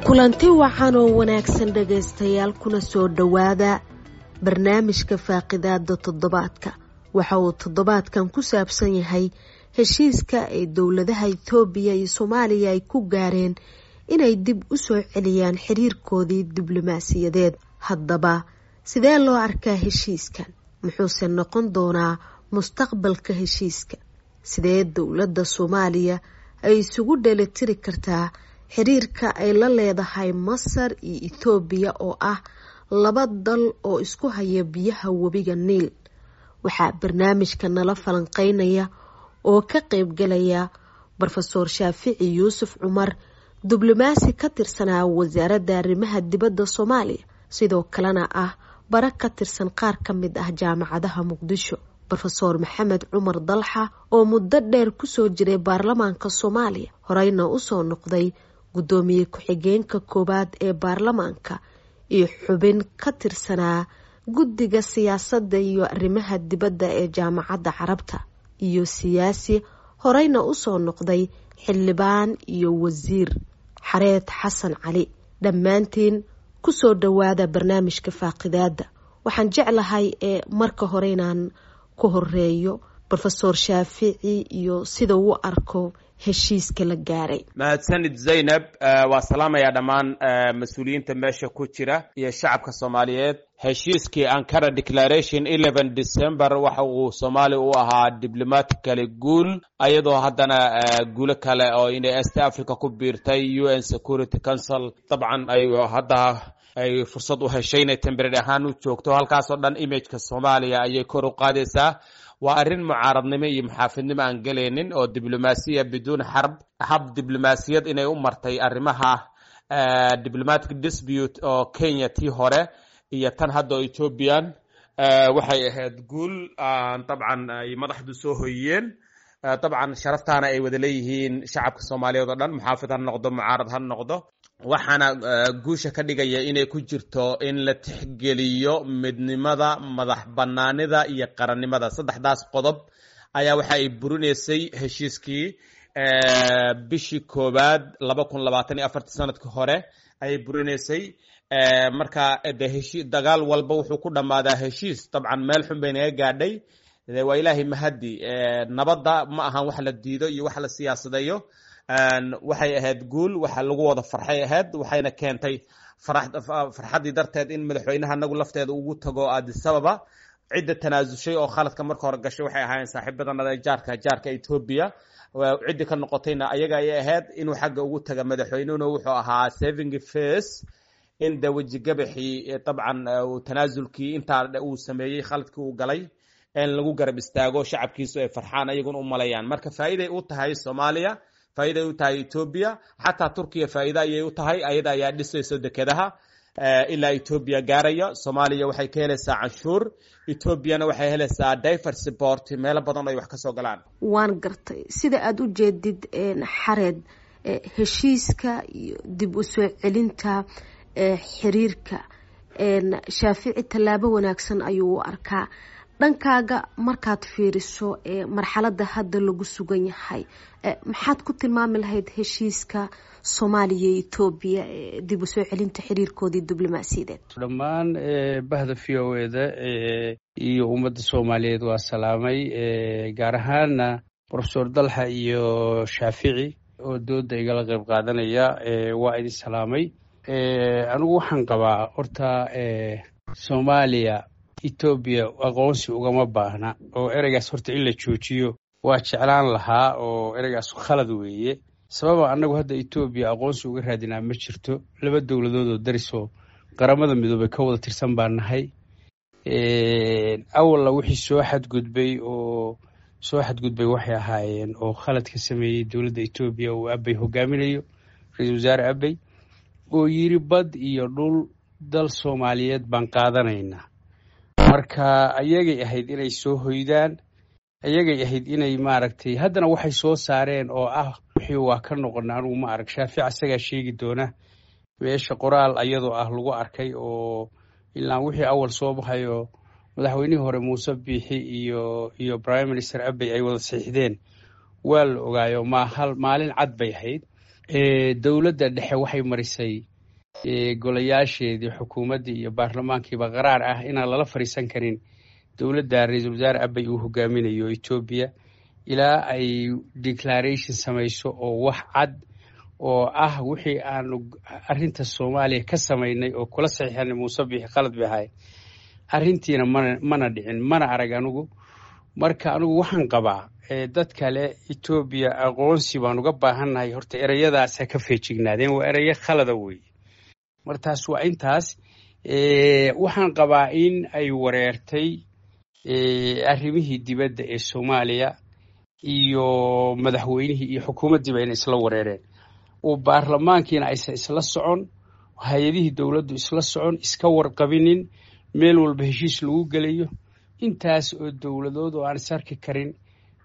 Kulanti wacan oo wanaagsan, dhagaystayaal, kuna soo dhowaada barnaamijka faaqidaada toddobaadka. Waxa uu toddobaadkan ku saabsan yahay heshiiska ay dowladaha Itoobiya iyo Soomaaliya ay ku gaareen inay dib u soo celiyaan xiriirkoodii diblomaasiyadeed. Haddaba, sidee loo arkaa heshiiskan? Muxuuse noqon doonaa mustaqbalka heshiiska? Sidee dowladda Soomaaliya ay isugu dheelitiri kartaa xiriirka ay la leedahay Masar iyo Itoobiya, oo ah laba dal oo isku haya biyaha webiga Niil? Waxaa barnaamijka nala falanqeynaya oo ka qeybgalaya Brofesoor Shaafici Yuusuf Cumar, diblomaasi ka tirsanaa Wasaaradda Arrimaha Dibadda Soomaaliya, sidoo kalena ah bara ka tirsan qaar ka mid ah jaamacadaha Muqdisho, Brofesoor Maxamed Cumar Dalxa, oo muddo dheer kusoo jiray baarlamaanka Soomaaliya, horeyna usoo noqday guddoomiye ku-xigeenka koowaad ee baarlamaanka iyo xubin ka tirsanaa guddiga siyaasadda iyo arrimaha dibadda ee Jaamacadda Carabta, iyo siyaasi horeyna usoo noqday xildhibaan iyo wasiir, Xareed Xasan Cali. Dhammaantiin kusoo dhowaada barnaamijka faaqidaada. Waxaan jeclahay ee marka hore inaan ku horeeyo Brofesoor Shaafici iyo sida uu arko heshiiska la gaaray. Mahadsanid, Zaynab. Waa salaamayaa dhammaan mas-uuliyiinta meesha ku jira iyo shacabka Soomaaliyeed. Heshiiskii Ankara Declaration 11 December waxa uu Soomaaliya u ahaa diplomatically guul, ayadoo haddana guulo kale oo inay East Africa ku biirtay UN Security Council, dabcan ay hadda ay fursad u heshay inay temporary ahaan u joogto halkaasoo dhan, imageka Soomaaliya ayay kor u qaadaysaa. Waa arrin mucaaradnimo iyo muxaafidnimo aan gelaynin oo diblomaasiya biduun xarb, hab diblomaasiyad inay u martay arrimaha diplomatic dispute oo Kenya tii hore iyo tan hadda oo Ethiopian, waxay ahayd guul dabcan ay madaxdu soo hoyiyeen. Dabcan sharaftaana ay wada leeyihiin shacabka Soomaaliyeed oo dhan, muxaafid ha noqdo, mucaarad ha noqdo. Waxaana guusha ka dhigaya inay ku jirto in la tixgeliyo midnimada, madax banaanida iyo qarannimada. Saddexdaas qodob ayaa waxa ay burinaysay heshiiskii bishii koowaad 2024-tii, sanadkii hore ayay burinaysay. Marka de heshi dagaal walba wuxuu ku dhammaadaa heshiis. Dabcan meel xun bay naga gaadhay, waa Ilaahay mahaddi. Nabadda ma ahan wax la diido iyo wax la siyaasadeeyo. Waxay ahayd guul waxa lagu wada farxay ahayd, waxayna keentay farxaddii darteed in madaxweynaha anagu lafteeda ugu tago Addis Ababa. Cidda tanaasushay oo khaladka marka hore gashay waxay ahaayeen saaxiibadanada jaarka Ethiopia. Ciddii ka noqotayna ayaga ayay ahayd. Inuu xagga ugu taga madaxweynuhuna wuxuu ahaa saving face, in de wejigabaxii dabcan tanaasulkii intaa uu sameeyey, khaladkii uu galay in lagu garab istaago, shacabkiisu ay farxaan, ayaguna u malayaan. Marka faa'iiday u tahay Soomaaliya, faa'iiday u tahay Ethiopia, xataa Turkiya faa'iida ayay u tahay. Ayada ayaa dhisayso dekedaha ilaa Ethiopia gaaraya. Soomaaliya waxay ka helaysaa canshuur, Ethiopiana waxay helaysaa diverse port, meelo badan ay wax ka soo galaan. Waan gartay. Sida aada u jeedid, Xareed, heshiiska iyo dib u soo celinta xiriirka, Shaafici tallaabo wanaagsan ayuu u arkaa. Dhankaaga markaad fiiriso marxaladda hadda lagu sugan yahay, maxaad ku tilmaami lahayd heshiiska Soomaaliya iyo Etoobiya, dib u soo celinta xiriirkoodii diblomaasiyadeed? Dhammaan bahda VOA-da iyo ummadda Soomaaliyeed waa salaamay, gaar ahaana Profesor Dalxa iyo Shaafici oo dooda igala qayb qaadanaya. Waa idin salaamay. Anigu waxaan qabaa horta Soomaaliya Etoobiya aqoonsi ugama baahna, oo ereygaas horta in la joojiyo waa jeclaan lahaa, oo ereygaas khalad weeye. Sababa annagu hadda Etoobiya aqoonsi uga raadinaa ma jirto. Laba dowladood oo darisoo Qaramada Midoobay ka wada tirsan baan nahay. Awalna wixii soo xadgudbay oo soo xadgudbay waxay ahaayeen oo khalad ka sameeyey dowladda Etoobiya uu Abey hogaaminayo, ra-iisul wasaare Abey, oo yiri bad iyo dhul dal Soomaaliyeed baan qaadanaynaa. Marka ayagay ahayd inay soo hoydaan, ayagay ahayd inay maaragtay haddana waxay soo saareen oo ah Wixii waa ka noqona anigu ma arag. Shaafic asagaa sheegi doona meesha qoraal ayadoo ah lagu arkay, oo ilaan wixii awal soo baxayo madaxweynihii hore Muuse Biixi iyo Prime Minister Abey ay wada saxiixdeen waa la ogaayo. Mahal maalin cad bay ahayd. Dowladda dhexe waxay marisay golayaasheedii xukuumaddii iyo baarlamaankiiba qaraar ah inaan lala fariisan karin dowladda ra-iisul wasaare Abey uu hogaaminayo Etoobiya ilaa ay declaration samayso oo wax cad oo ah wixii aanu arrinta Soomaaliya ka samaynay oo kula saxiixanay Muuse Biixi qalad bay ahayd. Arrintiina mana dhicin, mana arag anigu. Marka anigu waxaan qabaa dad kale Etoobiya aqoonsi baan uga baahannahay, horta ereyadaas ha ka feejignaadeen, waa ereyo khalada weeye. Martaas waa intaas. Waxaan qabaa in ay wareertay arrimihii dibadda ee Soomaaliya iyo madaxweynihii iyo xukuumaddiiba inay isla wareereen, oo baarlamaankiina aysan isla socon, hay-adihii dowladdu isla socon, iska warqabinin, meel walba heshiis lagu gelayo, intaas oo dowladood oo aan is arki karin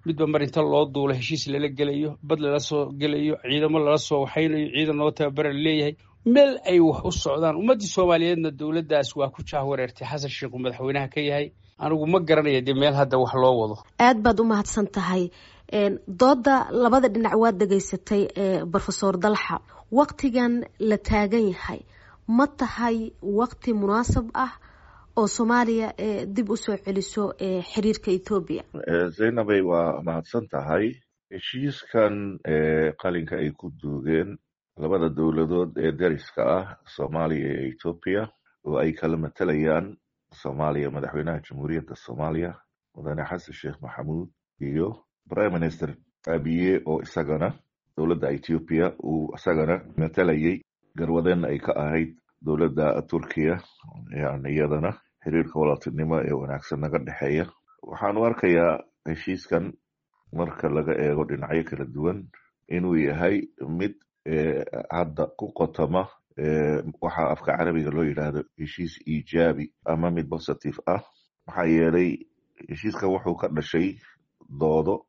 midba mar inta loo duulo heshiis lala gelayo, bad lala soo gelayo, ciidamo lala soo waxaynayo, ciidan loo tababara laleeyahay, meel ay wax u socdaan. Ummaddii Soomaaliyeedna dowladdaas waa ku jaah wareertay Xasan Sheikhu madaxweynaha ka yahay. Anigu ma garanaya dee meel hadda wax loo wado. Aad baad u mahadsan tahay. Dooda labada dhinac waad dhegaysatay, Brofesor Dalxa. Waktigan la taagan yahay ma tahay wakti munaasab ah oo Soomaaliya dib usoo celiso xiriirka Etoobiya? Zaynabay, waa mahadsan tahay. Heshiiskan qalinka ay ku duugeen labada dowladood ee deriska ah, Soomaaliya iyo Etoobiya, oo ay kala matalayaan Soomaaliya madaxweynaha Jamhuuriyadda Soomaaliya, Mudane Xasan Sheekh Maxamuud, iyo Prime Minister Abiye, oo isagana dowladda Ethiopia uu isagana matalayay, garwadeenna ay ka ahayd dowladda Turkiya, yani iyadana xiriirka walaaltinimo ee wanaagsan naga dhexeeya, waxaanu arkayaa heshiiskan marka laga eego dhinacyo kala duwan inuu yahay mid hadda ku qotoma waxa afka Carabiga loo yidhaahdo heshiis iijaabi ama mid positive ah. Maxaa yeelay, heshiiskan wuxuu ka dhashay doodo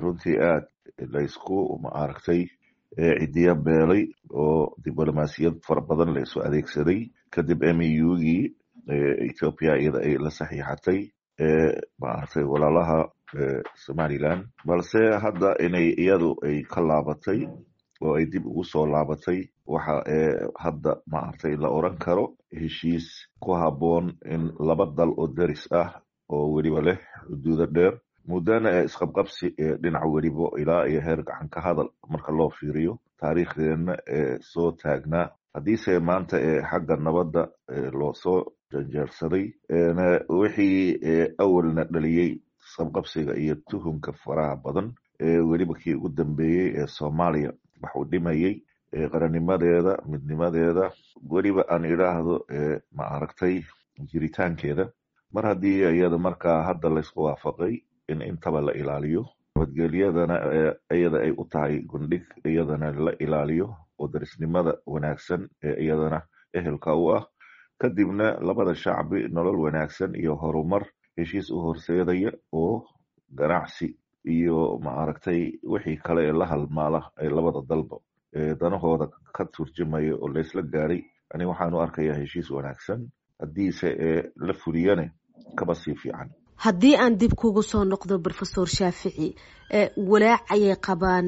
runtii aad laysku maaragtay cidiya beelay oo diblomaasiyad fara badan la isu adeegsaday kadib MOU-gii Ethiopia iyada ay la saxiixatay maaragtay walaalaha Somaliland, balse hadda inay iyadu ay ka laabatay oo ay dib ugu soo laabatay waxa hadda maaragtay la oran karo heshiis ku habboon in laba dal oo deris ah oo weliba leh xuduudo dheer, muddana ee isqabqabsi ee dhinac weliba ilaa iyo heer gacan ka hadal marka loo fiiriyo taariikhdeenna ee soo taagnaa, haddiise maanta ee xagga nabadda loo soo janjeersaday, wixii awalna dhaliyey isqabqabsiga iyo tuhunka faraha badan ee weliba kii ugu dambeeyey ee Soomaaliya waxuu dhimayey qarannimadeeda, midnimadeeda, weliba aan idhaahdo ma aragtay jiritaankeeda, mar haddii iyada markaa hadda laysku waafaqay in intaba la ilaaliyo, nabadgelyadana iyada ay u tahay gundhig, iyadana la ilaaliyo oo darisnimada wanaagsan ee iyadana ehelka u ah, kadibna labada shacbi nolol wanaagsan iyo horumar heshiis u horseedaya oo ganacsi iyo maaragtay wixii kale ee la halmaala ee labada dalba danahooda ka turjumaya oo laysla gaaray, ani waxaan u arkayaa heshiis wanaagsan, haddiise ee la fuliyane kaba sii fiican. Haddii aan dib kugu soo noqdo, Brofesor Shaafici, walaac ayay qabaan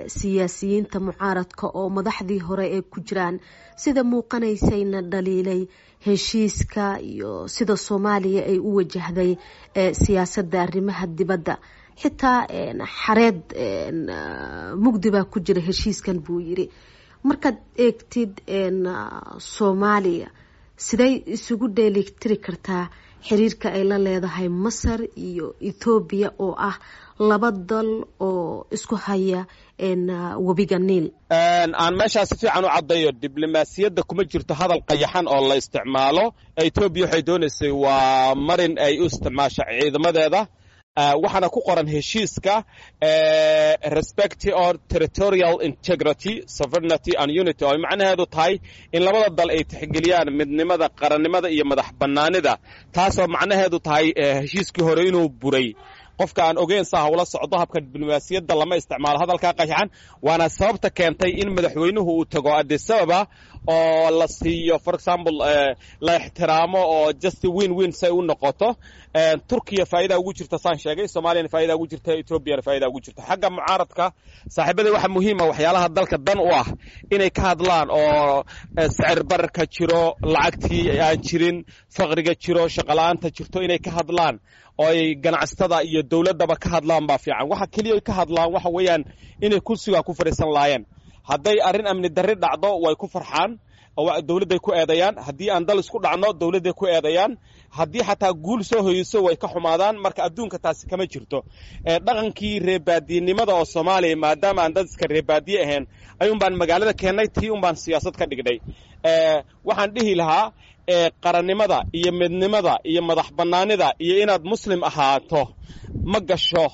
siyaasiyiinta mucaaradka oo madaxdii hore ee ku jiraan, sida muuqanaysayna dhaliilay heshiiska iyo sida Soomaaliya ay u wajahday siyaasadda arrimaha dibadda. Xitaa Xareed mugdi baa ku jira heshiiskan buu yiri. Markaad eegtid Soomaaliya, siday isugu dheelitiri kartaa xiriirka ay la leedahay Masar iyo Ethoobiya oo ah laba dal oo isku haya webiga Niil? Aan meeshaas si fiican u caddayo, diblomaasiyadda kuma jirto hadal qayaxan oo la isticmaalo. Etoobiya waxay doonaysay waa marin ay u isticmaasho ciidamadeeda, waxaana ku qoran heshiiska "respect or territorial integrity, sovereignty and unity", oo ay macnaheedu tahay in labada dal ay tixgeliyaan midnimada, qarannimada iyo madax bannaanida, taasoo macnaheedu tahay heshiiskii hore inuu buray. Qofka aan ogeyn saa hawla socdo habka diblomaasiyadda lama isticmaalo hadalkaa qayaxan, waana sababta keentay in madaxweynuhu uu tago Addis Ababa oo la siiyo, for example, la ixtiraamo oo just win win say u noqoto. Turkiya faa'iida ugu jirta saan sheegay, Soomaaliyana faa'iida ugu jirta, Etoobiyana faa'iida ugu jirta. Xagga mucaaradka, saaxiibada, waxa muhiima waxyaalaha dalka dan u ah inay ka hadlaan oo sicir bararka jiro, lacagtii aan jirin, faqriga jiro, shaqola'aanta jirto inay ka hadlaan oo ay ganacsatada iyo dowladdaba ka hadlaan baa fiican. Waxa keliya ka hadlaan waxa weeyaan inay kursiga ku fadhiisan laayeen. Hadday arrin amni darri dhacdo way ku farxaan, dowladday ku eedayaan. Haddii aan dal isku dhacno dowladday ku eedayaan. Haddii xataa guul soo hoyso way ka xumaadaan. Marka adduunka taasi kama jirto. Dhaqankii reebaadiyenimada oo Soomaaliya, maadaama aan dad iska reebaadiye ahayn, ayuun baan magaalada keennay, tii un baan siyaasad ka dhignay. Waxaan dhihi lahaa qarannimada iyo midnimada iyo madax bannaanida iyo inaad Muslim ahaato ma gasho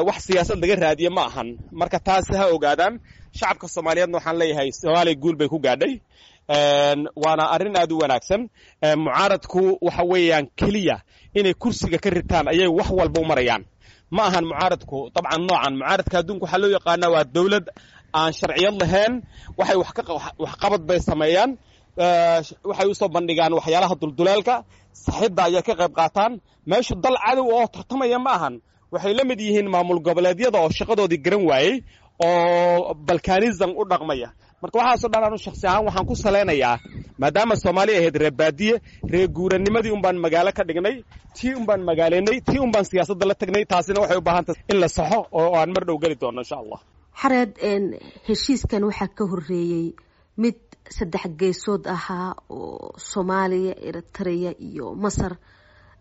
wax siyaasad laga raadiye ma ahan. Marka taasi ha ogaadaan shacabka Soomaaliyeedna. Waxaan leeyahay Soomaaliya guul bay ku gaadhay, waana arrin aad u wanaagsan. Mucaaradku waxa weeyaan keliya inay kursiga ka ritaan ayay wax walba u marayaan. Ma ahan mucaaradku dabcan noocan mucaaradka adduunka waxaa loo yaqaanaa waa dowlad aan sharciyad lahayn. Waxay waxqabad bay sameeyaan, waxay usoo bandhigaan waxyaalaha dulduleelka saxidda ayay ka qayb qaataan. Meeshu dal cadow oo tartamaya ma ahan. Waxay la mid yihiin maamul goboleedyada oo shaqadoodii garan waayey oo balkanism u dhaqmaya. Marka waxaasoo dhan anu shaksi ahaan waxaan ku salaynayaa, maadaama Soomaaliya ahayd reer baadiye, reer guuranimadii un baan magaalo ka dhignay, tii un baan magaaleynay, tii un baan siyaasadda la tagnay. Taasina waxay u baahan tahay in la saxo oo aan mar dhow geli doono, insha Allah. Xareed, heshiiskan waxaa ka horeeyey mid saddex geesood ahaa oo Soomaaliya, Eritrea iyo Masar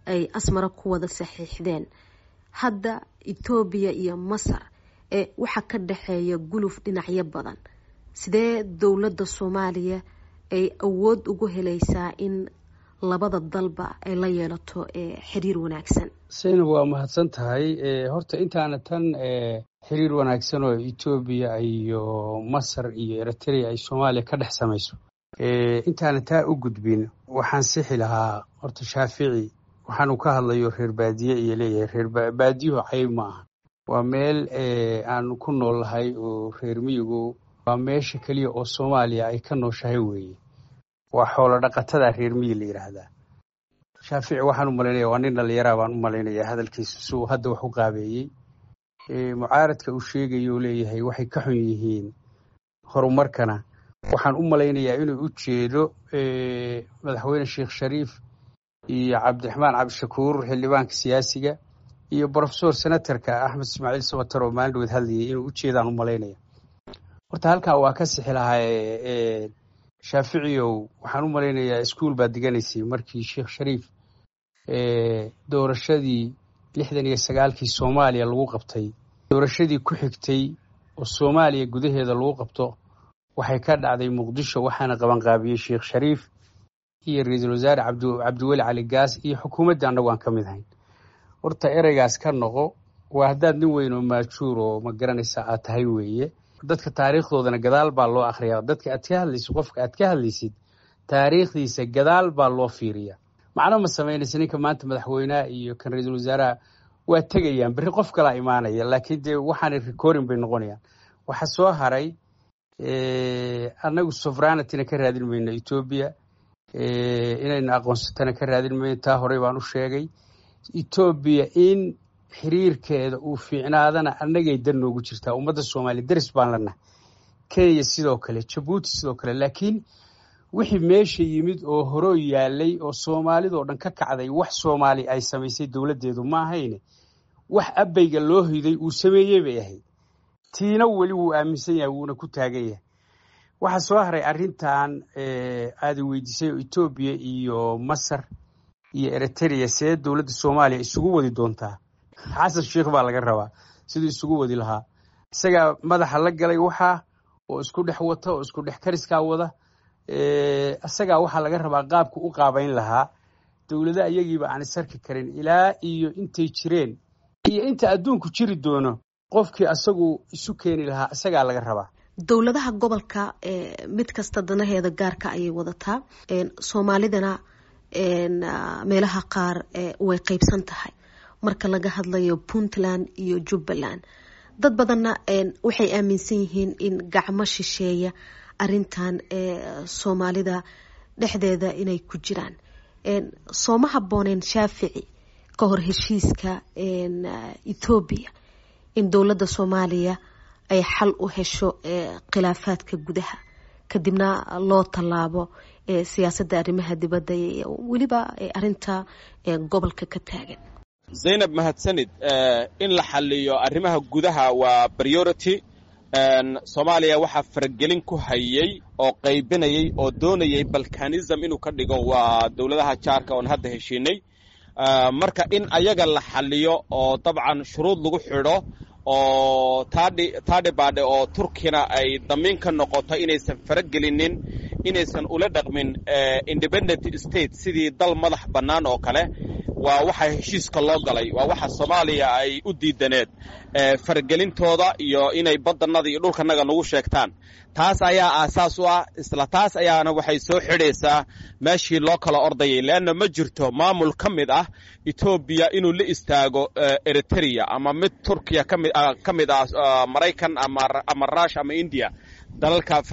ay Asmara ku wada saxiixdeen. Hadda Etoobiya iyo Masar waxaa ka dhexeeya guluf dhinacyo badan. Sidee dowladda Soomaaliya ay awood ugu helaysaa in labada dalba ay la yeelato xiriir wanaagsan? Saynab, waa mahadsan tahay. Horta intaana tan xiriir wanaagsan oo Etoobiya iyo Masar iyo Eritrea ay Soomaaliya ka dhex samayso, intaana taa u gudbin, waxaan sixi lahaa horta Shaafici. Waxaanu ka hadlayo reer baadiye iyo leeyahay, reer baadiyuhu cayb ma aha. Waa meel aanu ku nool nahay oo reer miyigu waa meesha keliya oo Soomaaliya ay ka nooshahay weeye. Waa xoolo dhaqatada reer miyi la yidhaahdaa. Shaafici waxaan u malaynaya waa nin dhallinyaraa baan u malaynayaa hadalkiisa si uu hadda wax u qaabeeyey. Mucaaradka uu sheegayo leeyahay waxay ka xun yihiin horumarkana, waxaan u malaynayaa inuu u jeedo madaxweyne Sheekh Shariif iyo Cabdiraxmaan Cabdishakuur xildhibaanka siyaasiga iyo professor senatorka Axmed Ismaaciil Sabatar oo maalin dhaweed hadlayay inuu u jeedaan u malaynaya. Horta halkaa waa ka sixi lahaa. Shaaficiyow, waxaan u malaynayaa iskuol baad diganaysay markii Sheekh Shariif doorashadii 69-kii Soomaaliya lagu qabtay. Doorashadii ku xigtay oo Soomaaliya gudaheeda lagu qabto waxay ka dhacday Muqdisho, waxaana qabanqaabiyey Sheekh Shariif iyo ra-iisul wasaare Cabdiweli Cali Gaas iyo xukuumadda annagu aan ka mid ahayn. Horta ereygaas ka noqo. Waa haddaad nin weyn oo maajuur oo ma garanaysa aad tahay weeye. Dadka taariikhdoodana gadaal baa loo akhriyaa. Dadka aad ka hadlaysid, qofka aad ka hadlaysid taariikhdiisa gadaal baa loo fiiriyaa. Macno ma samaynaysa ninka maanta madaxweynaha iyo kan ra-iisul wasaaraha waa tegayaan, berri qof kalaa imaanaya, laakiin dee waxaanay recording bay noqonayaan. Waxa soo haray, annagu sovereigntyna ka raadin mayno Etoobiya, inayna aqoonsatana ka raadin mayno. Taa horey baan u sheegay. Etoobiya in xiriirkeeda uu fiicnaadana annagay dan noogu jirtaa, ummadda Soomaaliya deris baan lanahay. Kenya sidoo kale, Jabuuti sidoo kale. Laakiin wixii meesha yimid oo horoo yaalay oo Soomaalidoo dhan ka kacday, wax Soomaali ay samaysay dowladdeedu ma ahayne, wax abayga loo hiday uu sameeyey bay ahayd. Tiina weli wuu aaminsan yahay, wuuna ku taagan yahay. Waxaa soo haray arrintan aada weydiisay oo Etoobiya iyo Masar iyo Eritrea see dowladda Soomaaliya isugu wadi doontaa. Xasan Sheikh baa laga rabaa siduu isugu wadi lahaa. Isagaa madaxa la galay waxaa oo isku dhex wata oo isku dhex kariskaa wada. Isagaa waxaa laga rabaa qaabka u qaabayn lahaa dowlada iyagiiba aan isarki karin ilaa iyo intay jireen iyo inta adduunku jiri doono. Qofkii asagu isu keeni lahaa isagaa laga rabaa. Dowladaha gobolka mid kasta danaheeda gaarka ayay wadataa. Soomaalidana meelaha qaar way qeybsan tahay. Marka laga hadlayo Puntland iyo Jubbaland, dad badanna waxay aaminsan yihiin in gacmo shisheeya arintan Soomaalida dhexdeeda inay ku jiraan. Sooma habbooneen, Shaafici, ka hor heshiiska Ethoobiya in dowladda Soomaaliya ay xal u hesho khilaafaadka gudaha, kadibna loo tallaabo siyaasadda arrimaha dibadda, weliba arinta gobolka ka taagan? Zaynab, mahadsanid. In la xaliyo arrimaha gudaha waa priority. Soomaaliya waxaa faragelin ku hayay oo qaybinayay oo doonayay balkanism inuu ka dhigo waa dowladaha jaarka oon hadda heshiinay. Marka in ayaga la xaliyo oo dabcan shuruud lagu xidho oo taadhibaadhe oo Turkina ay damiin ka noqoto inaysan faragelinin, inaysan ula dhaqmin independent state, sidii dal madax bannaan oo kale, waa waxa heshiiska loo galay. Waa waxa Soomaaliya ay u diidaneed faragelintooda iyo inay baddannada iyo dhulkanaga nagu sheegtaan. Taas ayaa aasaas u ah. Isla taas ayaana waxay soo xidhaysaa meeshii loo kala ordayay, leanna ma jirto maamul ka mid ah Etoobiya inuu la istaago Eritrea ama mid Turkiya ka mid ah, Maraykan ama Rush ama India, dalalka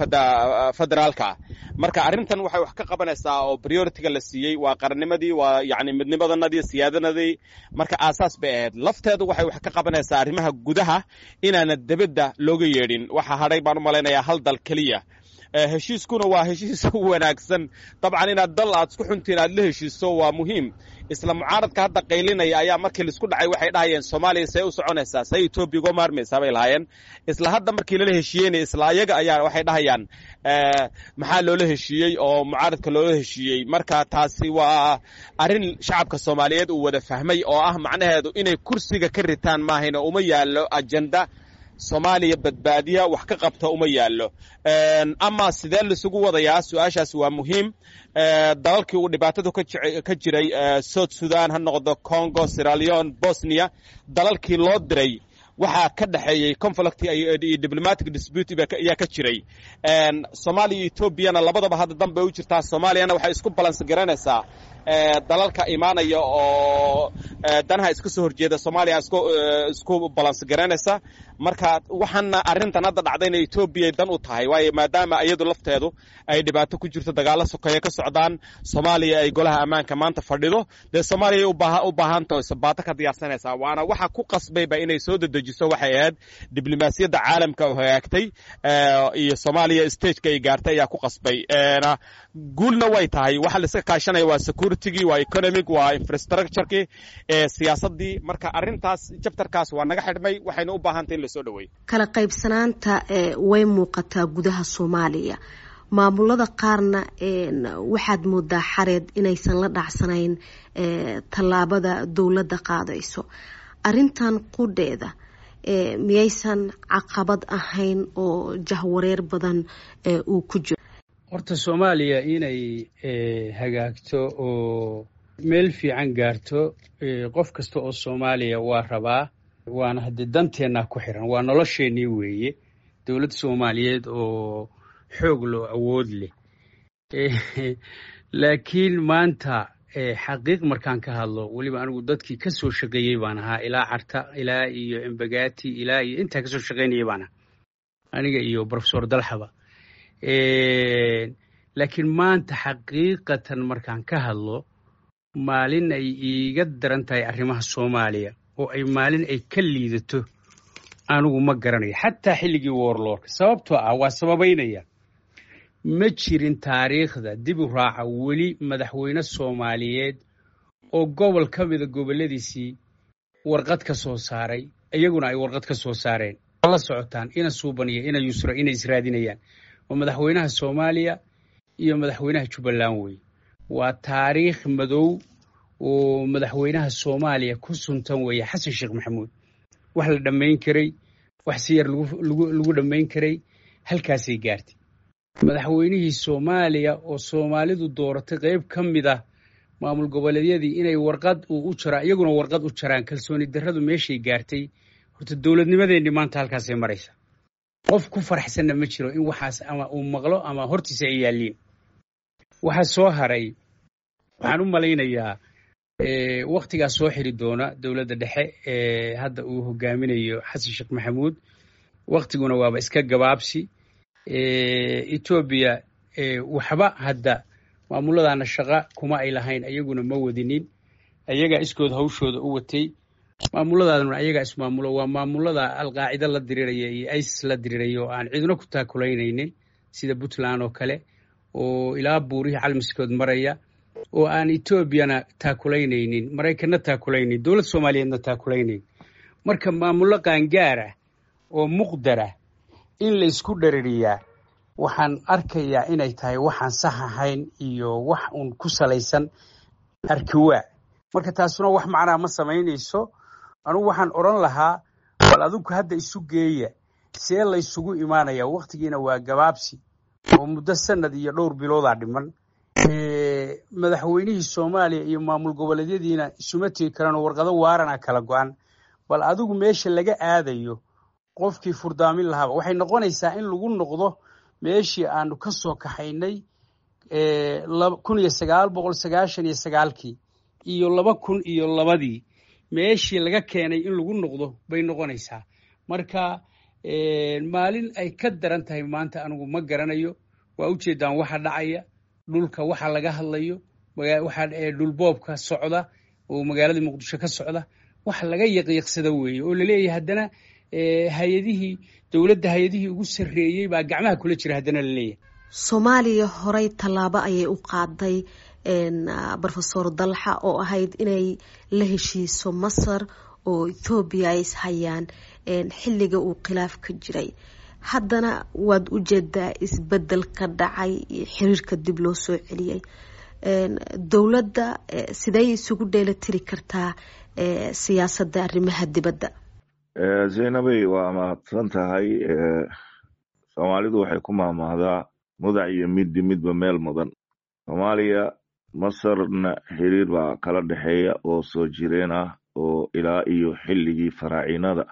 federaalka ah. Marka arrintan waxay wax ka qabanaysaa oo priority-ga la siiyey waa qarannimadii, waa yacni midnimadanadii, siyaadanadii. Marka aasaas bay ahayd. Lafteedu waxay wax ka qabanaysaa arrimaha gudaha inaana debadda looga yeedhin. Waxa hadhay baan u malaynayaa hal dal keliya. Heshiiskuna waa heshiis wanaagsan. Dabcan inaad dal aad isku xuntiin aad la heshiiso waa muhiim. Isla mucaaradka hadda qaylinaya ayaa markii laisku dhacay waxay dhahayeen, "Soomaaliya see u soconaysaa? See Etoobiya uga maarmaysaa?" bay lahaayeen. Isla hadda markii lala heshiiyeynaya, isla ayaga ayaa waxay dhahayaan, "Maxaa loola heshiiyey oo mucaaradka loola heshiiyey?" Marka taasi waa arrin shacabka Soomaaliyeed uu wada fahmay oo ah macnaheedu inay kursiga ka ritaan maahayna uma yaallo ajenda Soomaaliya badbaadiya, wax ka qabta uma yaallo. Ama sidee laisugu wadayaa? Su-aashaas waa muhiim. Dalalkii uu dhibaatadu ka jiray, South Sudan ha noqdo, Congo, Sierra Leone, Bosnia, dalalkii loo diray waxaa ka dhexeeyey conflict iyo diplomatic dispute ayaa ka jiray. Soomaaliya iyo Etoobiyana labadaba hadda dan bay u jirtaa. Soomaaliyana waxay isku balance garanaysaa dalalka imaanaya oo danaha iska soo horjeeda. Soomaaliya isku balance garanaysa. Marka waxaana arrintan hadda dhacdayna Etoobiyay dan u tahay, waayo maadaama iyadu lafteedu ay dhibaato ku jirto, dagaalo sokeeye ka socdaan, Soomaaliya ay golaha ammaanka maanta fadhido, dee Soomaaliya u baahantaho sabaato ka diyaarsanaysaa. Waana waxa ku qasbayba inay soo dedejiso waxay ahayd diblomaasiyadda caalamka oo hagaagtay iyo Soomaaliya stageka ay gaartay ayaa ku qasbay. Guulna way tahay. Waxa la iska kaashanaya waa securitygii, waa economic, waa infrastructurekii, siyaasaddii. Marka arrintaas chapterkaas waa naga xidhmay, waxayna u baahantay in lasoo dhaweeyo. Kala qaybsanaanta way muuqataa gudaha Soomaaliya. Maamulada qaarna waxaad moodaa, Xareed, inaysan la dhacsanayn tallaabada dowladda qaadayso. Arrintan qudheeda miyaysan caqabad ahayn oo jahwareer badan uu ku jiro? Horta Soomaaliya inay hagaagto oo meel fiican gaarto qof kasta oo Soomaaliya waa rabaa, waana haddii danteennaa ku xiran, waa nolosheennii weeye, dowladda Soomaaliyeed oo xoog loo awood leh. Laakiin maanta xaqiiq markaan ka hadlo, weliba anigu dadkii ka soo shaqeeyey baan ahaa, ilaa Carta ilaa iyo Embagati ilaa iyo intaa kasoo shaqeynayay baan ahaa, aniga iyo Professor Dalxaba. Laakiin maanta xaqiiqatan markaan ka hadlo, maalin ay iiga daran tahay arrimaha Soomaaliya oo ay maalin ay ka liidato anigu ma garanayo, xataa xilligii warlordka. Sababtoo ah waa sababaynaya, ma jirin taariikhda dib u raaca weli madaxweyne Soomaaliyeed oo gobol ka mida gobolladiisii warqad ka soo saaray, iyaguna ay warqad ka soo saareen. La socotaan ina Suuban iyo ina Yusra inay israadinayaan oo madaxweynaha Soomaaliya iyo madaxweynaha Jubbaland wey. Waa taariikh madow oo madaxweynaha Soomaaliya ku suntan weeye Xasan Sheekh Maxamuud. Wax la dhammayn karay, wax si yar lagu dhammayn karay, halkaasay gaartay. Madaxweynihii Soomaaliya oo Soomaalidu dooratay, qayb ka mid ah maamul goboleedyadii inay warqad uu u jaraan, iyaguna warqad u jaraan, kalsooni darradu meeshay gaartay. Horta dowladnimadeenni maanta halkaasay maraysa. Qof ku faraxsanna ma jiro in waxaas ama uu maqlo ama hortiisa ay yaalliin. Waxaa soo haray, waxaan u malaynayaa Waktigaas soo xiri doona dowladda dhexe ee hadda uu hogaaminayo Xasan Sheekh Maxamuud. Waktiguna waaba iska gabaabsi. Etoobiya waxba hadda maamuladaana shaqa kuma ay lahayn, ayaguna ma wadinin, ayagaa iskood hawshooda u watay. Maamuladaaduna ayagaa ismaamulo, waa maamulada Alqaacida la diriraya iyo ISIS la diriraya oo aan cidna ku taakulaynaynin, sida Puntland oo kale oo ilaa buurihii Calmiskood maraya, oo aan Etoobiyana taakulaynaynin, Maraykanna taakulaynayn, dowlad Soomaaliyeedna taakulaynayn. Marka maamullo qaangaara oo muqdara in la isku dherariyaa, waxaan arkayaa inay tahay waxaan sax ahayn iyo wax uun ku salaysan arkiwaa. Marka taasuna wax macnaa ma samaynayso. Anugu waxaan odhan lahaa, bal adinku hadda isu geeya, see la ysugu imaanaya? Waktigiina waa gabaabsi oo muddo sanad iyo dhowr biloodaa dhiman. Madaxweynihii Soomaaliya iyo maamul goboleedyadiina isuma tegi karaan oo warqado waarana kala go-an. Bal adigu meesha laga aadayo qofkii furdaamin lahaaba waxay noqonaysaa in lagu noqdo meeshii aanu ka soo kaxaynay 1999-kii iyo 2002-dii, meeshii laga keenay in lagu noqdo bay noqonaysaa. Marka maalin ay ka daran tahay maanta anigu ma garanayo. Waa ujeedaan waxa dhacaya dhulka, waxa laga hadlayo, waxa dhulboobka socda oo magaalada Muqdisho ka socda, wax laga yaqiiqsada weeye oo laleeyahay. Haddana hay-adihii dowladda, hay-adihii ugu sarreeyey baa gacmaha kula jira haddana laleeyahay. Soomaaliya horey tallaabo ayay u qaaday, Rofesor Dalxa, oo ahayd inay la heshiiso Masar oo Ethoobiya ay ishayaan xilliga uu khilaaf ka jiray. Haddana waad ujeedaa isbedel ka dhacay, xiriirka dib loo soo celiyey. Dowladda sidey isugu dheelitiri kartaa siyaasadda arrimaha dibadda? Zaynabey, waa mahadsan tahay. Soomaalidu waxay ku maahmaahdaa mudac iyo middi midba meel mudan. Soomaaliya Masarna xiriir baa kala dhexeeya oo soo jireen ah oo ilaa iyo xilligii faraaciinada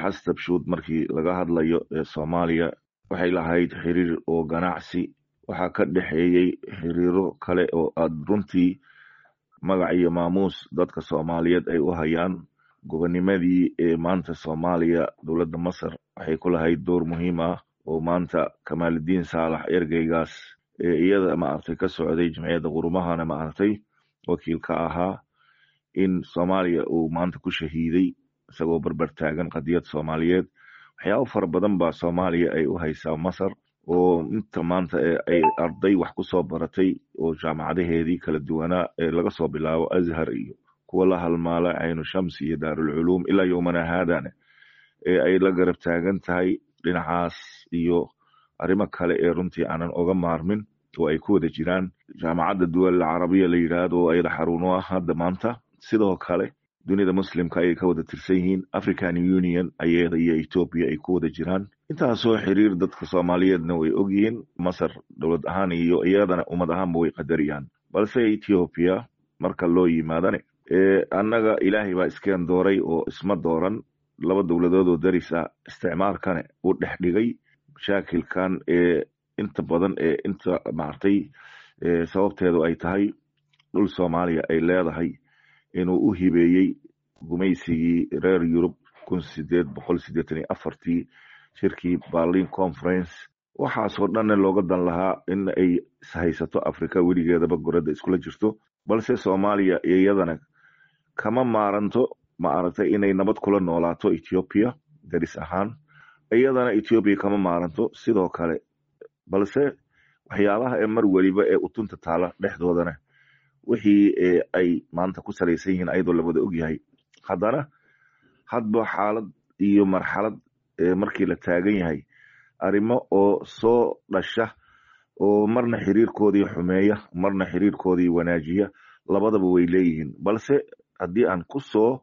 Xastabshuud. Markii laga hadlayo ee Soomaaliya waxay lahayd xiriir oo ganacsi, waxaa ka dhexeeyey xiriiro kale oo aad runtii magac iyo maamuus dadka Soomaaliyeed ay u hayaan. Gobonimadii ee maanta Soomaaliya, dowladda Masar waxay ku lahayd door muhiim ah oo maanta Kamaaludiin Saalax, ergeygaas ee iyada maaragtay ka socday Jamciyadda Qurumahana maaragtay wakiil ka ahaa, in Soomaaliya uu maanta ku shahiiday isagoo barbar taagan qadiyad Soomaaliyeed. Waxyaabo fara badan baa Soomaaliya ay u haysaa Masar, oo inta maanta ay arday wax ku soo baratay oo jaamacadaheedii kala duwanaa ee laga soo bilaabo Azhar iyo kuwa la halmaala, Caynu Shams iyo Daarulculuum, ilaa yowmana haadane ee ay la garab taagan tahay dhinacaas iyo arrimo kale ee runtii aanan oga maarmin, oo ay ku wada jiraan Jaamacadda Duwal Carabiya la yidhaahdo oo ayada xaruun u ah hadda maanta. Sidoo kale dunida Muslimka ayay ka wada tirsan yihiin, African Union ayada iyo Etoobiya ay ku wada jiraan. Intaasoo xiriir dadka Soomaaliyeedna way ogyihiin. Masar dowlad ahaan iyo iyadana ummad ahaanba way qadariyaan. Balse Ethiopia marka loo yimaadane, annaga Ilaahay baa iskeen dooray oo isma dooran. Laba dowladood oo daris ah isticmaalkane uu dhex dhigay mashaakilkan ee inta badan ee inta maartay sababteedu ay tahay dhul Soomaaliya ay leedahay inuu u hibeeyey gumaysigii reer Yurub 1884-tii, shirkii Berlin Conference. Waxaasoo dhanna looga dan lahaa in ay ishaysato Africa weligeedaba goradda iskula jirto. Balse Soomaaliya iyadana kama maaranto ma aragtay inay nabad kula noolaato Ethiopia daris ahaan, iyadana Ethiopia kama maaranto sidoo kale. Balse waxyaabaha ee mar weliba ee utunta taala dhexdoodana wixii ay maanta ku salaysan yihiin ayadoo la wada ogyahay, haddana hadba xaalad iyo marxalad markii la taagan yahay arrimo oo soo dhasha oo marna xiriirkoodii xumeeya, marna xiriirkoodii wanaajiya, labadaba way leeyihiin. Balse haddii aan ku soo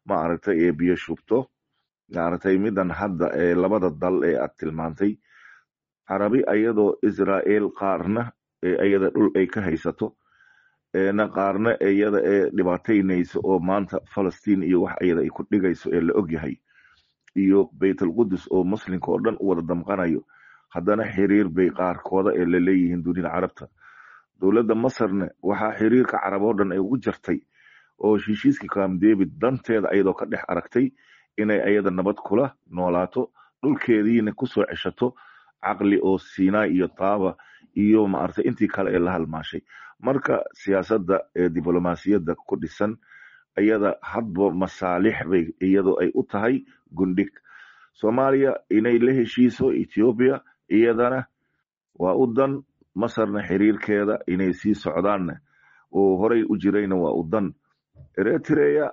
maaragtay ee biyo shubto maaragtay midan hadda ee labada dal ee aad tilmaantay, Carabi ayadoo Israel qaarna iyada dhul ay ka haysato na qaarna iyada ee dhibaataynayso oo maanta Falastiin iyo wax iyada ay ku dhigayso ee la ogyahay, iyo Baytalqudus oo Muslimka oo dhan u wada damqanayo, haddana xiriir bay qaarkooda ee laleeyihiin dunida Carabta. Dowladda Masarna waxaa xiriirka Carab oo dhan ay ugu jartay. Oo heshiiskii Camp David danteeda ayadoo ka dhex aragtay inay ayada nabad kula noolaato, dhulkeediina kusoo ceshato caqli oo Sinai iyo Taaba iyo maaragtay intii kale ee la halmaashay. Marka siyaasadda ee diblomaasiyadda ku dhisan iyada hadba masaalix bay iyadoo ay u tahay gundhig. Soomaaliya inay la heshiiso Ethiopia iyadana waa u dan, Masarna xiriirkeeda inay sii socdaanna oo horey u jirayna waa u dan. Eritrea,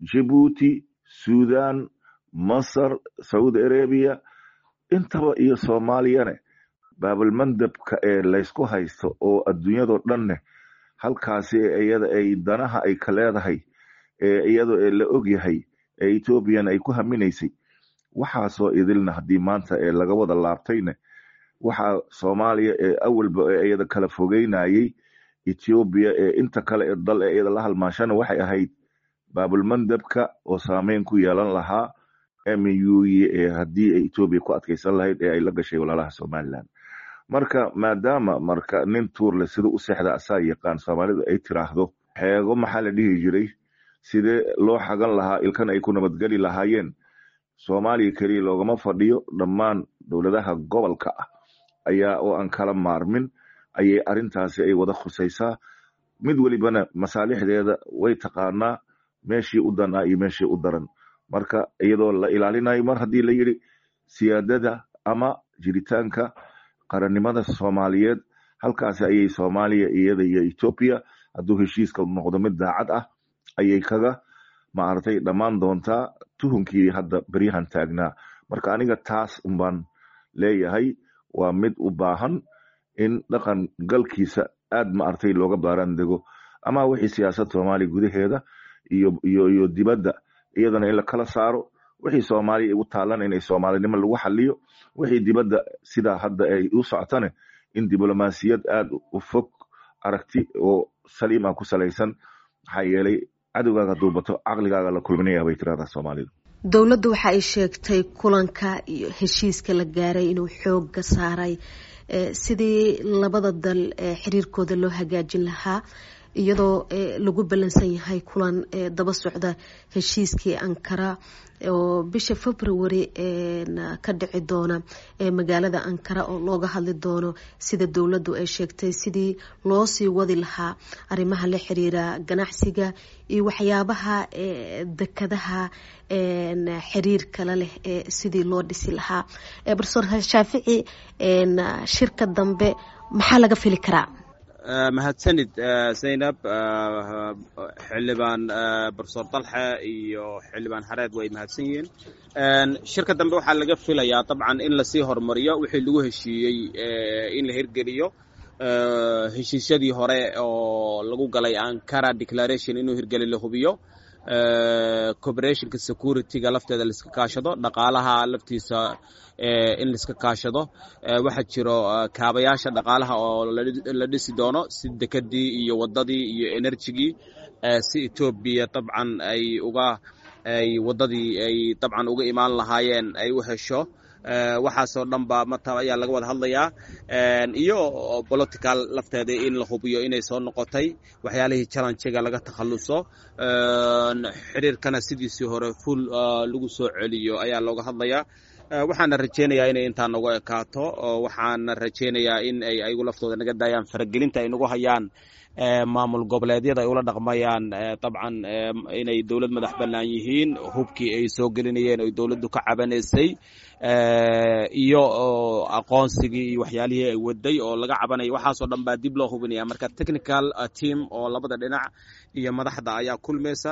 Djibouti, Sudan, Masar, Saudi Arabia intaba iyo Soomaaliyane Baabalmandabka ee laysku haysto oo adduunyadoo dhanne halkaasi iyada ay danaha ay ka leedahay ee iyadoo ee la ogyahay ee Ethoobiana ay ku haminaysay. Waxaasoo idilna haddii maanta ee laga wada laabtayne, waxaa Soomaaliya ee awalba ee iyada kala fogeynayay Ethiopia ee inta kale ee dal ee iyada la halmaashana waxay ahayd Baabulmandabka oo saameyn ku yeelan lahaa MU ee haddii ay Ethiopia ku adkaysan lahayd ee ay la gashay walaalaha Somaliland. Marka maadaama marka nin tuurle sida u seexda asaa yaqaan, Soomaalidu ay tiraahdo xeego maxaa la dhihi jiray, sidee loo xagan lahaa ilkan ay ku nabadgeli lahaayeen. Soomaaliya keliya loogama fadhiyo, dhammaan dowladaha gobolka ah ayaa oo aan kala maarmin ayay arrintaasi ay wada khusaysaa. Mid welibana masaalixdeeda way taqaanaa, meeshii u dan ah iyo meeshii u daran. Marka iyadoo la ilaalinayo mar haddii la yidhi siyaadada ama jiritaanka qarannimada Soomaaliyeed, halkaasi ayay Soomaaliya iyada iyo Ethiopia hadduu heshiiska noqdo mid daacad ah ayay kaga maaragtay dhammaan doontaa tuhunkii hadda beryahan taagnaa. Marka aniga taas unbaan leeyahay, waa mid u baahan in dhaqan galkiisa aad maaragtay looga baaraan dego, ama wixii siyaasad Soomaaliya gudaheeda iyo dibadda iyadana in la kala saaro, wixii Soomaaliya igu taalan inay Soomaalinimo lagu xaliyo, wixii dibadda sidaa hadda ay u socotane in diblomaasiyad aad u fog, aragti oo saliim ah ku salaysan. Maxaa yeelay cadowgaaga hadduu bato caqligaaga la kulminaya bay tirahdaa Soomaalidu. Dowladdu waxa ay sheegtay kulanka iyo heshiiska la gaaray inuu xoogga saaray sidii labada dal xiriirkooda loo hagaajin lahaa, iyadoo lagu ballansan yahay kulan daba socda heshiiskii Ankara oo bisha February ka dhici doona magaalada Ankara, oo looga hadli doono sida dowladdu ay sheegtay sidii loo sii wadi lahaa arrimaha la xiriira ganacsiga iyo waxyaabaha dekadaha xiriir kale leh sidii loo dhisi lahaa. Professor Shaafici, shirka dambe maxaa laga fili karaa? Mahadsanid Zaynab. Xildhibaan Professor Dalxe iyo Xildhibaan Hareed way mahadsan yihiin. Shirka dambe waxaa laga filayaa dabcan in lasii horumariyo wixii lagu heshiiyey, in la hirgeliyo heshiisyadii hore oo lagu galay Ankara Declaration, inuu hirgeli la hubiyo, cooperationka securityga lafteeda laiska kaashado, dhaqaalaha laftiisa in laiska kaashado. Waxaa jiro kaabayaasha dhaqaalaha oo la dhisi doono, si dekadii iyo waddadii iyo energygii, si Etoobiya dabcan ay uga ay waddadii ay dabcan uga imaan lahaayeen ay u hesho. Waxaasoo dhan ba mata ayaa laga wada hadlayaa, iyo political lafteeda in la hubiyo inay soo noqotay, waxyaalihii challengega laga takhalluso, xiriirkana sidiisii hore full lagu soo celiyo ayaa looga hadlayaa. Waxaana rajaynayaa inay intaa nagu ekaato. Waxaana rajaynayaa in ay ayagu laftooda naga daayaan faragelinta ay nagu hayaan, maamul goboleedyada ay ula dhaqmayaan dabcan inay dowlad madax bannaan yihiin, hubkii ay soo gelinayeen oy dowladdu ka cabanaysay iyo aqoonsigii iyo waxyaalihii ay waday oo laga cabanayay, waxaasoo dhan baa dib loo hubinaya. Marka technical team oo labada dhinac iyo madaxda ayaa kulmaysa,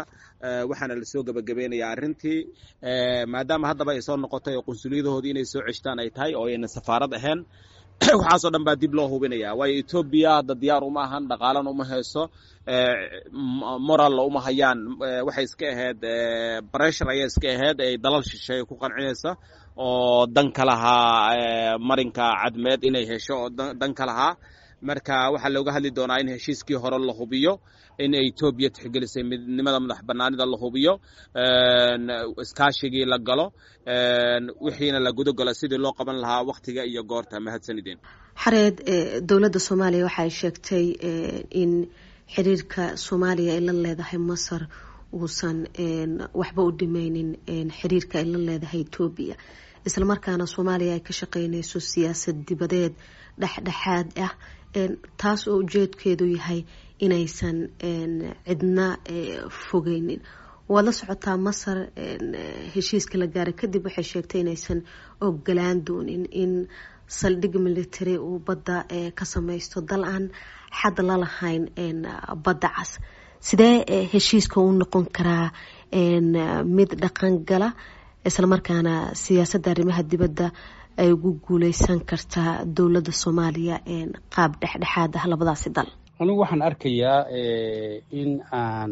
waxaana lasoo gebagabeynaya arrintii, maadaama haddaba ay soo noqotay oo qunsuliyadahoodii inay soo ceshtaan ay tahay oo ayna safaarad ahayn. Waxaasoo dhan baa dib loo hubinaya, waayo Etoobiya hadda diyaar uma ahan, dhaqaalana uma hayso, moralla uma hayaan. Waxay iska ahayd pressure ayay iska ahayd ay dalal shisheeye ku qancinaysa oo dan ka lahaa marinka Cadmeed inay hesho oo dan ka lahaa. Marka waxaa looga hadli doonaa in heshiiskii hore la hubiyo, in Etoobiya tixgelisay midnimada madax banaanida la hubiyo, iskaashigii la galo, wixiina la guda galo sidii loo qaban lahaa waktiga iyo goorta. Mahadsanideen. Xareed, dowladda Soomaaliya waxay sheegtay in Xiriirka Soomaaliya ay la leedahay Masar uusan waxba u dhimeynin xiriirka ay la leedahay Etoobiya, islamarkaana Soomaaliya ay ka shaqeyneyso siyaasad dibadeed dhexdhexaad ah, taas oo ujeedkeedu yahay inaysan cidna fogeynin. Waad la socotaa, Masar heshiiska la gaaray kadib waxay sheegtay inaysan ogolaan doonin in saldhig military uu badda ka sameysto dal aan xad la lahayn Badda Cas. Sidee heshiiska u noqon karaa mid dhaqan gala, islamarkaana siyaasadda arrimaha dibadda ay ugu guuleysan kartaa dowladda Soomaaliya qaab dhexdhexaad ah labadaasi dal? Anigu waxaan arkayaa in aan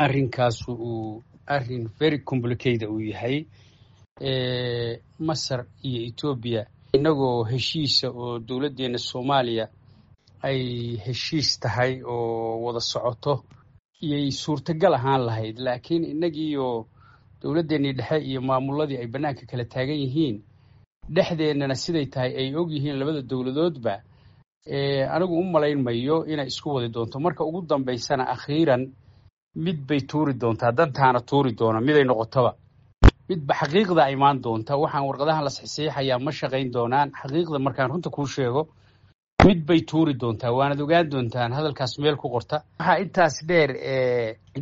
arrinkaasu uu arrin very complicated uu yahay. Masar iyo Etoobiya inagoo heshiisa oo dowladdeena Soomaaliya ay heshiis tahay oo wada socoto iyay suurtagal ahaan lahayd, laakiin innagiiyo dowladdeenii dhexe iyo maamuladii ay bannaanka kala taagan yihiin, dhexdeennana siday tahay ay og yihiin labada dowladoodba, anigu u malayn mayo inay isku wadi doonto. Marka ugu dambaysana, akhiiran, mid bay tuuri doontaa, dantaana tuuri doona. Miday noqotoba, midba xaqiiqda imaan doonta. Waxaan warqadahan la saxiixayaa ma shaqayn doonaan. Xaqiiqda markaan runta kuu sheego, mid bay tuuri doontaa, waanad ogaan doontaan. Hadalkaas meel ku qorta. Waxaa intaas dheer,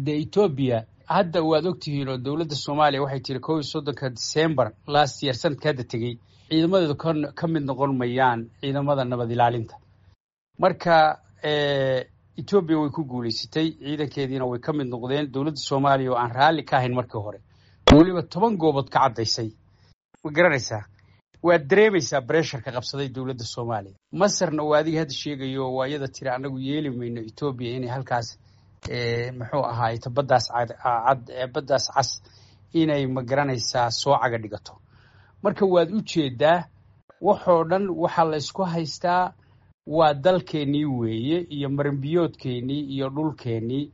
de Etoobiya hadda waad ogtihiin oo dowladda Soomaaliya waxay tiri 31-ka December last year, sanadka hadda tegey, ciidamadeedu ka mid noqon mayaan ciidamada nabad ilaalinta. Marka Etoobiya way ku guuleysatay, ciidankeediina way ka mid noqdeen. Dowladda Soomaaliya oo aan raalli ka ahayn markii hore, weliba 10 goobood ka caddaysay, ma garanaysaa? Waad dareemaysaa pressureka qabsaday dowladda Soomaaliya. Masarna waa adiga hadda sheegayo, waa iyada tiri annagu yeeli mayno Etoobiya inay halkaas, muxuu ahaay, baddaas cad, Baddaas Cas inay, ma garanaysaa, soo caga dhigato. Marka waad u jeedaa, waxoo dhan waxaa la isku haystaa waa dalkeennii weeye iyo marinbiyoodkeennii iyo dhulkeennii,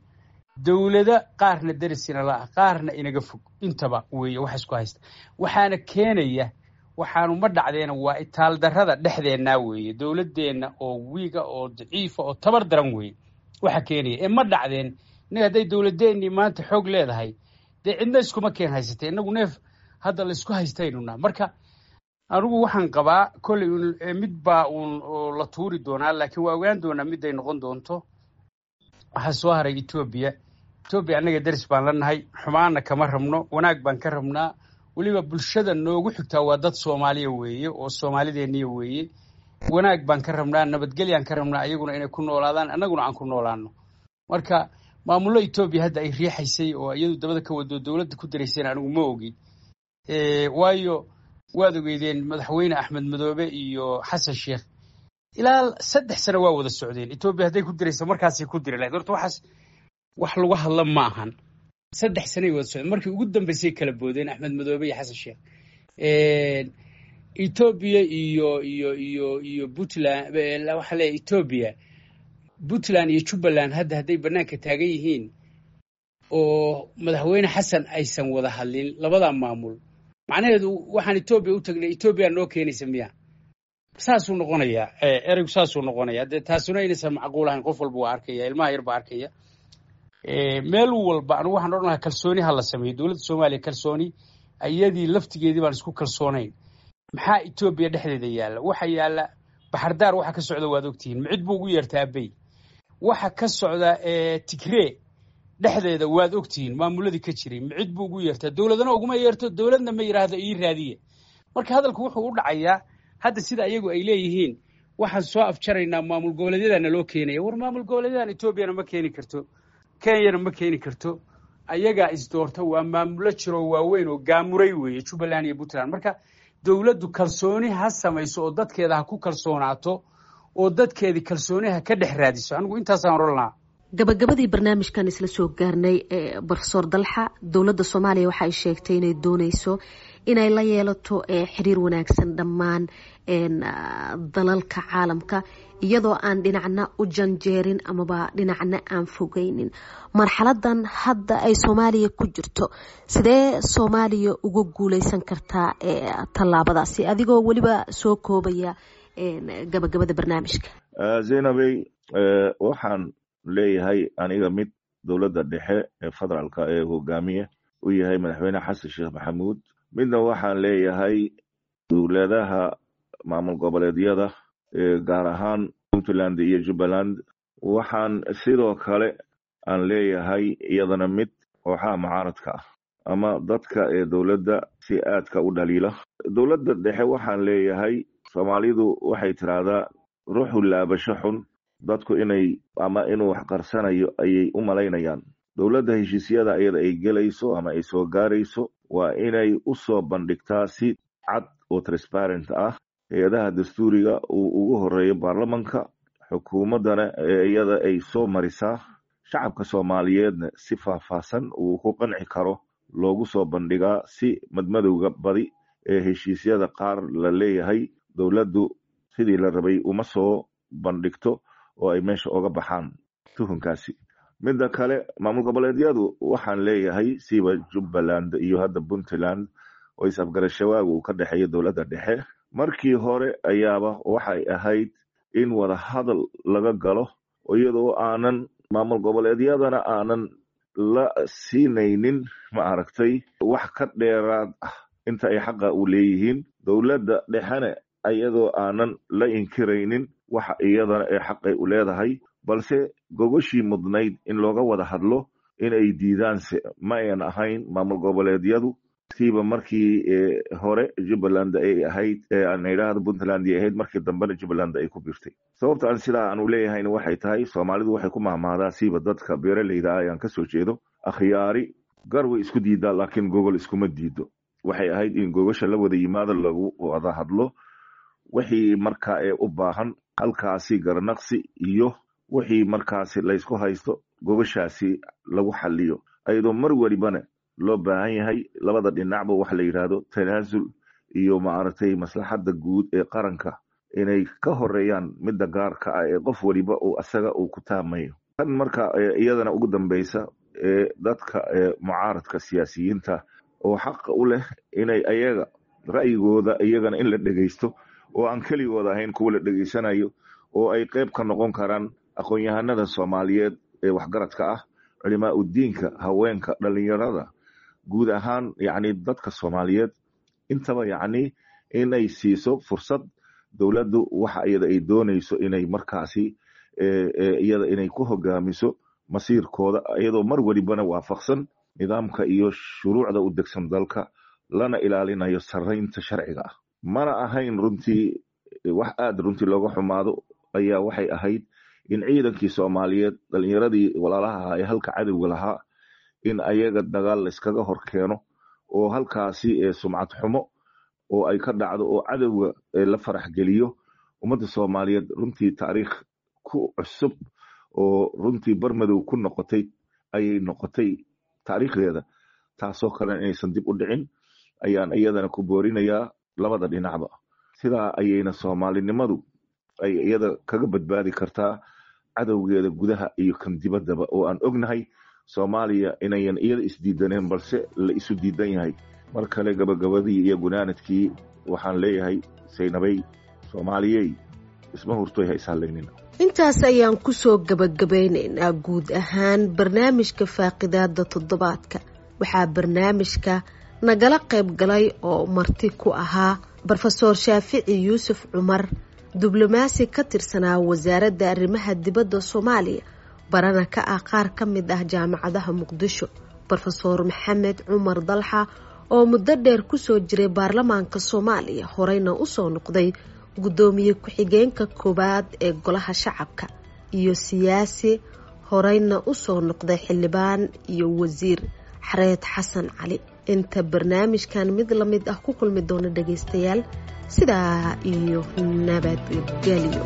dowlado qaarna derisina la ah, qaarna inaga fog, intaba weeye waxa isku haysta. Waxaana keenaya waxaanu ma dhacdeena waa itaaldarrada dhexdeennaa weeye, dowladdeenna oo wiiga oo daciifa oo tabar daran weeye waxa keenaya. Ee ma dhacdeen innaga hadday dowladeennii maanta xoog leedahay, dee cidna iskuma keen haysatay. Innagu neef hadda la isku haystaynunaa. Marka anigu waxaan qabaa kolley mid baa uun la tuuri doonaa, laakiin waa ogaan doonaa miday noqon doonto. Waxaa soo haray Etoobiya. Etoobiya annaga deris baan la nahay, xumaanna kama rabno, wanaag baan ka rabnaa. Weliba bulshada noogu xigtaa waa dad Soomaaliya weeye oo Soomaalideeniya weeye. Wanaag baan ka rabnaa, nabadgelyaan ka rabnaa, ayaguna inay ku noolaadaan, annaguna aan ku noolaano. Marka maamullo Etoobiya hadda ay riixaysay oo iyadu dabada ka wado dowladda ku darayseen anigu ma ogi, waayo waad ogeydeen madaxweyne Axmed Madoobe iyo Xasan Sheekh ilaa 3 sano waa wada socdeen. Etoobiya hadday ku diraysa markaasay ku diri lahayd. Horta waxaas wax lagu hadla ma ahan. 3 sanay wada socdeen, markii ugu dambeysay kala boodeen Axmed Madoobe iyo Xasan Sheekh. Etoobiya iyo Puntland, waxaa leeyahay Etoobiya, Puntland iyo Jubbaland hadda hadday bannaanka taagan yihiin oo madaxweyne Xasan aysan wada hadlin labadaa maamul, macnaheedu waxaan Etoobiya u tagnay Etoobiya noo keenaysa miya? Saasuu noqonayaa ereygu, saasuu noqonayaa. Dee taasuna inaysan macquul ahayn qof walba waa arkaya, ilmaha yar baa arkaya meel walba. Anigu waxaan odhan lahaa kalsooni ha la sameeyo dowladda Soomaaliya. Kalsooni iyadii laftigeedii baan isku kalsoonayn, maxaa Etoobiya dhexdeeda yaalla? Waxa yaalla Baxardaar, waxa ka socda waad ogtihiin. Micid buu ugu yeertaa Abey. Waxa ka socda Tigree dhexdeeda waad ogtihiin, maamuladii ka jiray micid buu ugu yeertaa, dowladana uguma yeerto, dowladna ma yidhaahdo ii raadiye. Marka hadalku wuxuu u dhacayaa hadda sida ayagu ay leeyihiin, waxaan soo afjaraynaa maamul goboleedyadana loo keenaya. War maamul goboleedyadan Etoobiyana ma keeni karto, Kenyana ma keeni karto, ayagaa isdoorta. Waa maamulo jiro waaweyn oo gaamuray weeye Jubbaland iyo Puntland. Marka dowladdu kalsooni ha samayso oo dadkeeda ha ku kalsoonaato oo dadkeedii kalsooni ha ka dhex raadiso. Anigu intaasaan oran lahaa. Gabagabadii barnaamijkan isla soo gaarnay. Profesor Dalxa, dowladda Soomaaliya waxa ay sheegtay inay dooneyso inay la yeelato xiriir wanaagsan dhammaan dalalka caalamka, iyadoo aan dhinacna u janjeerin amaba dhinacna aan fogeynin. Marxaladan hadda ay Soomaaliya ku jirto, sidee Soomaaliya uga guuleysan kartaa tallaabadaasi, adigoo weliba soo koobaya gabagabada barnaamijka? Zaynabey, waxaan leeyahay aniga mid dowladda dhexe ee federaalka ee hogaamiye u yahay madaxweyne Xasan Sheekh Maxamuud, midna waxaan leeyahay dowladaha maamul goboleedyada gaar ahaan Puntland iyo Jubbaland. Waxaan sidoo kale aan leeyahay iyadana mid kooxaha mucaaradka ah ama dadka ee dowladda si aadka u dhaliila. Dowladda dhexe waxaan leeyahay, Soomaalidu waxay tiraahdaa ruuxu laabasho xun, dadku inay ama inuu wax qarsanayo ayay u malaynayaan. Dowladda heshiisyada iyada ay gelayso ama ay soo gaarayso waa inay u soo bandhigtaa si cad oo transparent ah hay-adaha dastuuriga uu ugu horeeyo baarlamanka, xukuumaddana ee iyada ay soo marisaa, shacabka Soomaaliyeedna si faahfaahsan uu ku qanci karo loogu soo bandhigaa, si madmadowga badi ee heshiisyada qaar la leeyahay dowladdu sidii la rabay uma soo bandhigto oo ay meesha oga baxaan tuhunkaasi. Midda kale, maamul goboleedyadu waxaan leeyahay siba Jubbaland iyo hadda Puntland oo is-afgarashawaagu uu ka dhexeeyo dowladda dhexe, markii hore ayaaba waxay ahayd in wada hadal laga galo, iyadoo aanan maamul goboleedyadana aanan la siinaynin ma aragtay wax ka dheeraad ah inta ay xaqa u leeyihiin, dowladda dhexena iyadoo aanan la inkiraynin waxa iyadana ee xaqay u leedahay, balse gogoshii mudnayd in looga wada hadlo inay diidaanse ma ayan ahayn maamul goboleedyadu. Siiba markii hore Jubbaland ay ahayd, aan idhaahdo Puntland ay ahayd, markii dambena Jubbaland ay ku biirtay. Sababta aan sidaa aan u leeyahayna waxay tahay, Soomaalidu waxay ku mahmahdaa, siiba dadka beeraleyda ah ayaan kasoo jeedo, akhyaari gar way isku diidaa laakiin gogol iskuma diido. Waxay ahayd in gogosha la wada yimaado, lagu wada hadlo wixii markaa ee u baahan halkaasi garnaqsi iyo wixii markaasi laysku haysto gogoshaasi lagu xaliyo, ayadoo mar welibana loo baahan yahay labada dhinacba waxa la yidhaahdo tanaasul iyo maaragtay maslaxadda guud ee qaranka inay ka horeeyaan midda gaarka ah ee qof weliba uu asaga uu ku taamayo. Tan marka iyadana ugu dambeysa ee dadka mucaaradka siyaasiyiinta oo xaqa u leh inay ayaga ra'yigooda iyagana in la dhegeysto oo aan keligooda ahayn kuwa la dhegeysanayo, oo ay qayb ka noqon karaan aqoon-yahanada Soomaaliyeed ee waxgaradka ah, culimaa udiinka, haweenka, dhalinyarada, guud ahaan yacni dadka Soomaaliyeed intaba, yacni inay siiso fursad dowladdu waxa iyada ay doonayso inay markaasi iyada inay ku hogaamiso masiirkooda, iyadoo mar welibana waafaqsan nidaamka iyo shuruucda u degsan dalka, lana ilaalinayo sarraynta sharciga ah. Mana ahayn runtii wax aada runtii looga xumaado ayaa waxay ahayd in ciidankii Soomaaliyeed, dhalinyaradii walaalaha ahaa ee halka cadowga lahaa, in ayaga dagaal layskaga hor keeno oo halkaasi sumcad xumo oo ay ka dhacdo oo cadowga la farax geliyo ummadda Soomaaliyeed. Runtii taariikh ku cusub oo runtii barmadow ku noqotay ayay noqotay taariikhdeeda, taasoo kale inaysan dib u dhicin ayaan iyadana ku boorinayaa labada dhinacba. Sidaa ayayna Soomaalinimadu ay iyada kaga badbaadi kartaa cadowgeeda gudaha iyo kan dibaddaba, oo aan ognahay Soomaaliya inayan iyada isdiidaneen balse la isu diidan yahay. Mar kale gabagabadii iyo gunaanadkii waxaan leeyahay Saynabay, Soomaaliyey isma hurtoy, ha ishallaynina. Intaas ayaan kusoo gabagabeynaynaa guud ahaan barnaamijka faaqidaada toddobaadka. Waxaa barnaamijka nagala qayb galay oo marti ku ahaa Brofesoor Shaafici Yuusuf Cumar, diblomaasi ka tirsanaa wasaaradda arrimaha dibadda Soomaaliya, barana ka ah qaar ka mid ah jaamacadaha Muqdisho, Brofesoor Maxamed Cumar Dalxa oo muddo dheer kusoo jiray baarlamaanka Soomaaliya, horeyna usoo noqday guddoomiye ku-xigeenka koowaad ee golaha shacabka, iyo siyaasi horeyna usoo noqday xildhibaan iyo wasiir Xareed Xasan Cali. Inta barnaamijkan mid la mid ah ku kulmi doona dhagaystayaal, sidaa iyo nabadgelyo.